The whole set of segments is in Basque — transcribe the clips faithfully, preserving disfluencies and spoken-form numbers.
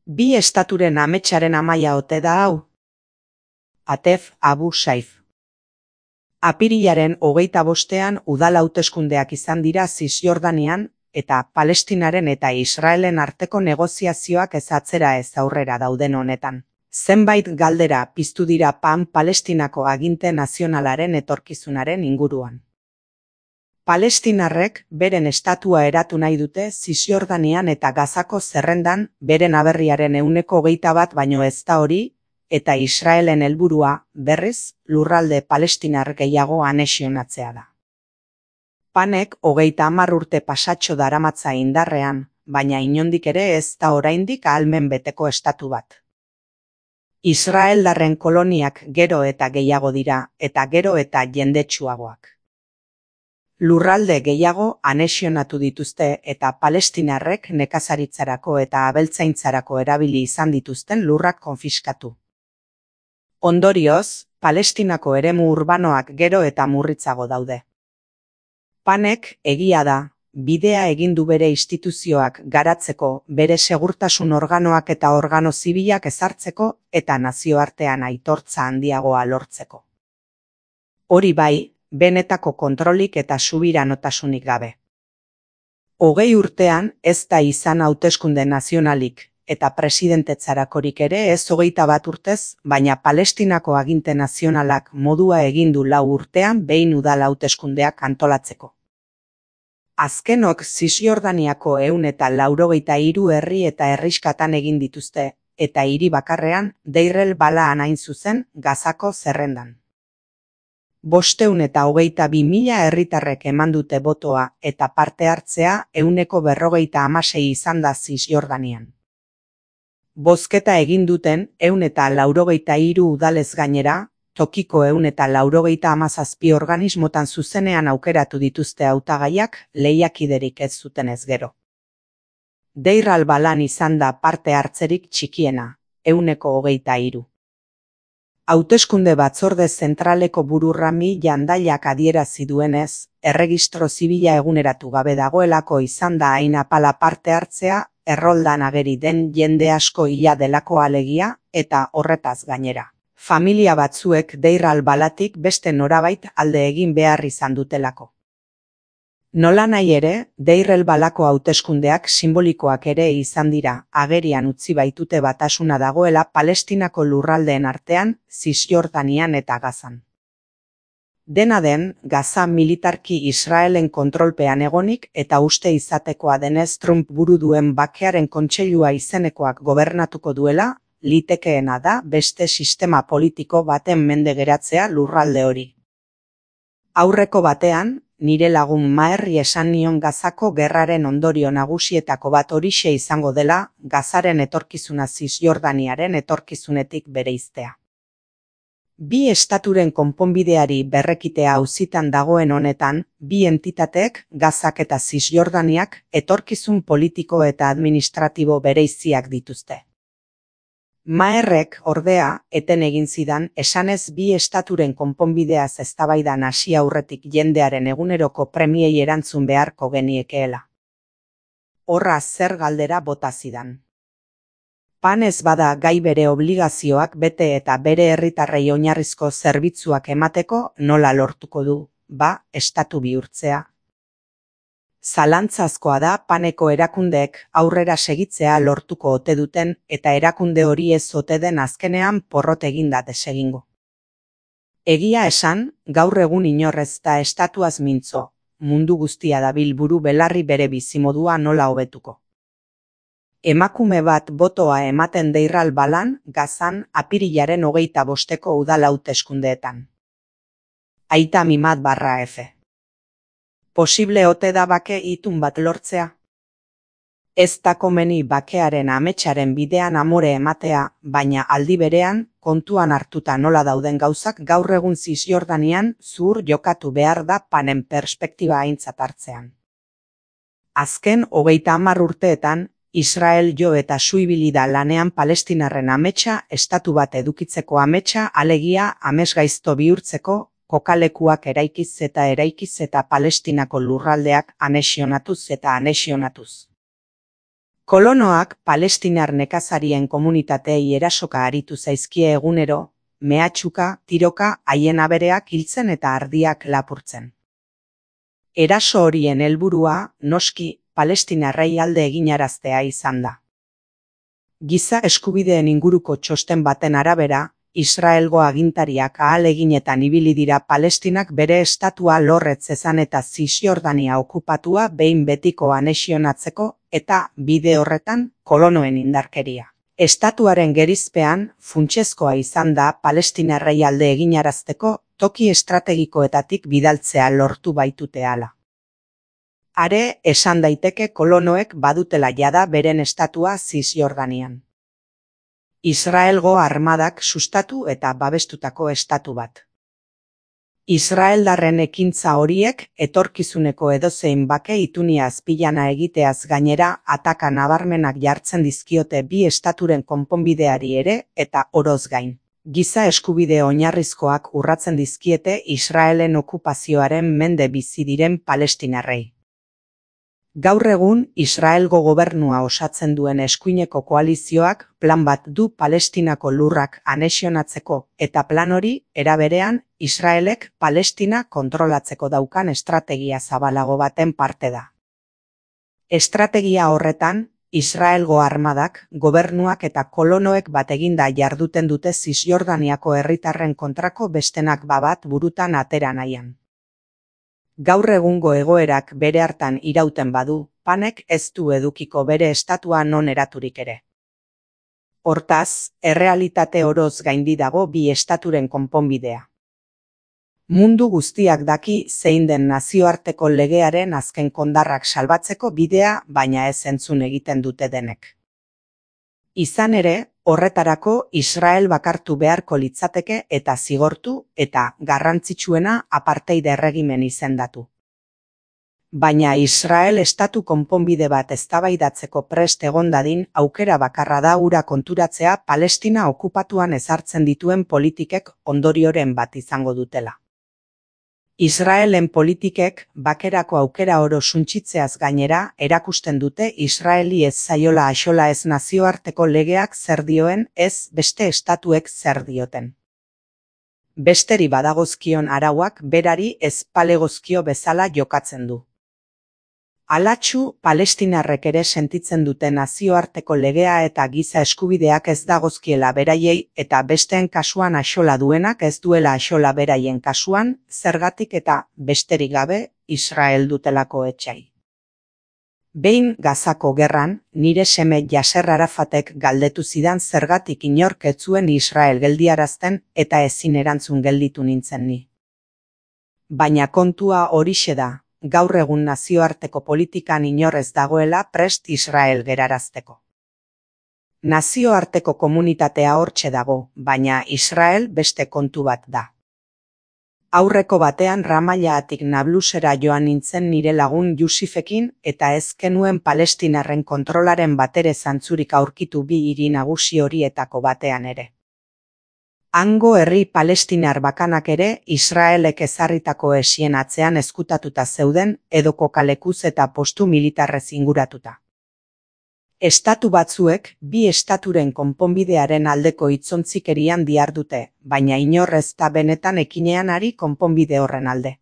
Bi estaturen ametsaren amaia ote da hau? Atef Abu Saif. Apirilaren hogeita bostean udal hauteskundeak izan dira Zisjordanian eta Palestinaren eta Israelen arteko negoziazioak ez atzera ez aurrera dauden honetan. Zenbait galdera piztu dira Pan Palestinako aginte nazionalaren etorkizunaren inguruan. Palestinarrek beren estatua eratu nahi dute Zisjordanian eta Gazako zerrendan beren aberriaren ehuneko hogeita bat baino ez da hori, eta Israelen helburua, berriz, lurralde palestinar gehiago anexionatzea da. Panek hogeita hamar urte pasatxo daramatza indarrean, baina inondik ere ez da oraindik ahalmen beteko estatu bat. Israeldarren koloniak gero eta gehiago dira, eta gero eta jendetsuagoak. Lurralde gehiago anexionatu dituzte eta palestinarrek nekazaritzarako eta abeltzaintzarako erabili izan dituzten lurrak konfiskatu. Ondorioz, Palestinako eremu urbanoak gero eta murritzago daude. Panek, egia da, bidea egin du bere instituzioak garatzeko, bere segurtasun organoak eta organo zibilak ezartzeko eta nazioartean aitortza handiagoa lortzeko. Hori bai, benetako kontrolik eta subiranotasunik gabe. Hogei urtean ez da izan hauteskunde nazionalik, eta presidentetzarakorik ere ez hogeita bat urtez, baina Palestinako aginte nazionalak modua egin du lau urtean behin udal hauteskundeak antolatzeko. Azkenok Zisjordaniako ehun eta laurogeita hiru herri eta herriskatan egin dituzte, eta hiri bakarrean Deir el-Balaan hain zuzen Gazako zerrendan. Bosteun eta hogeita bi mila herritarrek eman dute botoa eta parte hartzea ehuneko berrogeita hamasei izan da Zisjordanian. Bozketa egin duten ehun eta laurogeita hiru udalez gainera, tokiko ehun eta laurogeita hamazazpi organismotan zuzenean aukeratu dituzte hautagaiak lehiakiderik ez zutenez gero. Deir el-Balaan izan da parte hartzerik txikiena, ehuneko hogeita hiru. Hauteskunde batzorde zentraleko buru Rami Jandailak adierazi duenez, erregistro zibila eguneratu gabe dagoelako izan da hain apala parte hartzea, erroldan ageri den jende asko hila delako alegia, eta horretaz gainera. Familia batzuek Deir el-Baalatik beste norabait alde egin behar izan dutelako. Nola nahi ere, Deir el-Baalako hauteskundeak simbolikoak ere izan dira, agerian utzi baitute batasuna dagoela Palestinako lurraldeen artean, Zisjordanian eta Gazan. Dena den, Gaza militarki Israelen kontrolpean egonik eta uste izatekoa denez Trump buru duen bakearen kontseilua izenekoak gobernatuko duela, litekeena da beste sistema politiko baten mende geratzea lurralde hori. Aurreko batean, nire lagun Maherri esan nion Gazako gerraren ondorio nagusietako bat horixe izango dela, Gazaren etorkizuna Zisjordaniaren etorkizunetik bereiztea. Bi estaturen konponbideari berrekitea auzitan dagoen honetan, bi entitateek, Gazak eta Zisjordaniak, etorkizun politiko eta administratibo bereiziak dituzte. Maherrek, ordea, eten egin zidan, esanez bi estaturen konponbideaz eztabaidan hasi aurretik jendearen eguneroko premiei erantzun beharko geniekeela. Horra zer galdera bota zidan. Pan ez bada gai bere obligazioak bete eta bere herritarrei oinarrizko zerbitzuak emateko nola lortuko du, ba, estatu bihurtzea. Zalantzazkoa da Paneko erakundeek aurrera segitzea lortuko ote duten eta erakunde hori ez ote den azkenean porrot eginda desegingo. Egia esan, gaur egun inorrez da estatuaz mintzo, mundu guztia dabil buru belarri bere bizimodua nola hobetuko. Emakume bat botoa ematen Deir el-Baalaan, Gazan, apirilaren hogeita bosteko udal hauteskundeetan. Aita Mimat barra F. Posible ote da bake itun bat lortzea? Ez da komeni bakearen ametsaren bidean amore ematea, baina aldi berean, kontuan hartuta nola dauden gauzak gaur egun Zisjordanian zuhur jokatu behar da Panen perspektiba aintzat hartzean. Azken hogeita hamar urteetan, Israel jo eta suibili da lanean Palestinarren ametsa, estatu bat edukitzeko ametsa, alegia amesgaizto bihurtzeko, kokalekuak eraikiz eta eraikiz eta Palestinako lurraldeak anexionatuz eta anexionatuz. Kolonoak palestinar nekazarien komunitatei erasoka aritu zaizkie egunero, mehatxuka, tiroka, haien abereak hiltzen eta ardiak lapurtzen. Eraso horien helburua, noski, palestinarrei alde eginaraztea izan da. Giza eskubideen inguruko txosten baten arabera, Israelgo agintariak ahaleginetan ibili dira Palestinak bere estatua lorretz zezan eta Zisjordania okupatua behin betiko anexionatzeko eta bide horretan kolonoen indarkeria. Estatuaren gerizpean funtsezkoa izan da palestinarrei alde eginarazteko toki estrategikoetatik bidaltzea lortu baitute hala. Are, esan daiteke kolonoek badutela jada beren estatua Zisjordanian. Israelgo armadak sustatu eta babestutako estatu bat. Israeldarren ekintza horiek etorkizuneko edozein bake itunia azpilana egiteaz gainera ataka nabarmenak jartzen dizkiote bi estaturen konponbideari ere eta oroz gain. Giza eskubide oinarrizkoak urratzen dizkiete Israelen okupazioaren mende bizi diren palestinarrei. Gaur egun, Israelgo gobernua osatzen duen eskuineko koalizioak plan bat du Palestinako lurrak anexionatzeko eta plan hori, era berean, Israelek Palestina kontrolatzeko daukan estrategia zabalago baten parte da. Estrategia horretan, Israelgo armadak, gobernuak eta kolonoek bateginda jarduten dute Zisjordaniako herritarren kontrako bestenak babat burutan atera nahian. Gaur egungo egoerak bere hartan irauten badu, panek ez du edukiko bere estatua non eraturik ere. Hortaz, errealitate oroz gaindi dago bi estaturen konponbidea. Mundu guztiak daki zein den nazioarteko legearen azken kondarrak salbatzeko bidea, baina ez entzun egiten dute denek. Izan ere, horretarako Israel bakartu beharko litzateke eta zigortu eta garrantzitsuena apartheid erregimen izendatu. Baina Israel estatu konponbide bat eztabaidatzeko prest egon dadin aukera bakarra da hura konturatzea Palestina okupatuan ezartzen dituen politikek ondorioren bat izango dutela. Israelen politikek bakerako aukera oro suntsitzeaz gainera erakusten dute Israeli ez zaiola axola ez nazioarteko legeak zer dioen ez beste estatuek zer dioten. Besteri badagozkion arauak berari ez palegozkio bezala jokatzen du. Alatxu, palestinarrek ere sentitzen dute nazioarteko legea eta giza eskubideak ez dagozkiela beraiei eta besteen kasuan axola duenak ez duela axola beraien kasuan, zergatik eta besterik gabe Israel dutelako etsai. Behin Gazako gerran, nire seme Yasser Arafatek galdetu zidan zergatik inork ez zuen Israel geldiarazten eta ezin erantzun gelditu nintzen ni. Baina kontua horixe da. Gaur egun nazioarteko politikan inor ez dagoela prest Israel gerarazteko. Nazioarteko komunitatea hortxe dago, baina Israel beste kontu bat da. Aurreko batean Ramallaatik Nablusera joan nintzen nire lagun Yusifekin eta ez genuen palestinarren kontrolaren batere zantzurik aurkitu bi hiri nagusi horietako batean ere. Hango herri palestinar bakanak ere Israelek ezarritako esien atzean ezkutatuta zeuden edo kokalekuz eta postu militarrez inguratuta. Estatu batzuek bi estaturen konponbidearen aldeko hitzontzikerian dihardute, baina inor ez da benetan ekinean ari konponbide horren alde.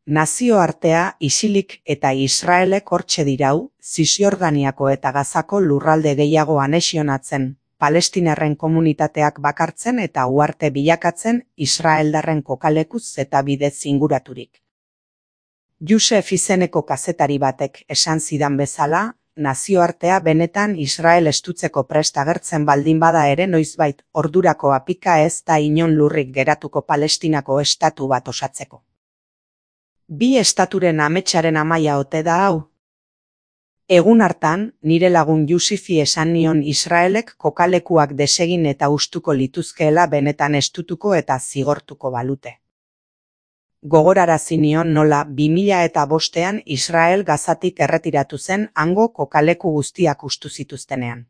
Nazioartea isilik eta Israelek hortxe dirau, Zisjordaniako eta Gazako lurralde gehiago anexionatzen, palestinarren komunitateak bakartzen eta uharte bilakatzen Israeldarren kokalekuz eta bidez inguraturik. Yusef izeneko kazetari batek esan zidan bezala, nazioartea benetan Israel estutzeko prest agertzen baldin bada ere noizbait ordurako apika ez da inon lurrik geratuko Palestinako estatu bat osatzeko. Bi estaturen ametsaren amaia ote da hau? Egun hartan, nire lagun Yusifi esan nion Israelek kokalekuak desegin eta ustuko lituzkeela benetan estutuko eta zigortuko balute. Gogorarazi nion nola bi mila eta bostean Israel Gazatik erretiratu zen hango kokaleku guztiak ustu zituztenean.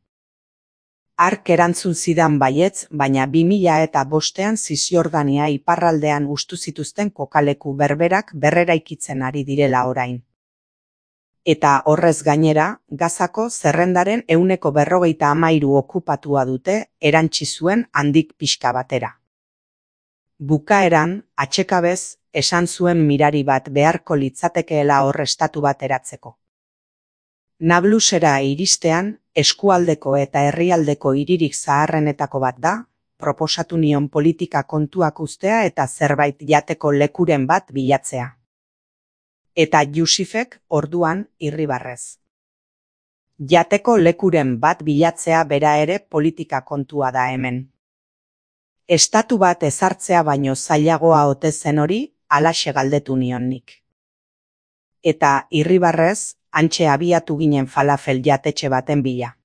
Hark erantzun zidan baietz, baina bi mila eta bostean Zisjordania iparraldean ustu zituzten kokaleku berberak berreraikitzen ari direla orain. Eta horrez gainera, Gazako zerrendaren ehuneko berrogeita hamairu okupatua dute erantsi zuen handik pixka batera. Bukaeran, atsekabez, esan zuen mirari bat beharko litzatekeela hor estatu bat eratzeko. Nablusera iristean, eskualdeko eta herrialdeko hiririk zaharrenetako bat da, proposatu nion politika kontuak uztea eta zerbait jateko lekuren bat bilatzea. Eta Jusifek orduan irribarrez. Jateko lekuren bat bilatzea bera ere politika kontua da hemen. Estatu bat ezartzea baino zailagoa ote zen hori, halaxe galdetu nion nik. Eta irribarrez, hantxe abiatu ginen falafel jatetxe baten bila.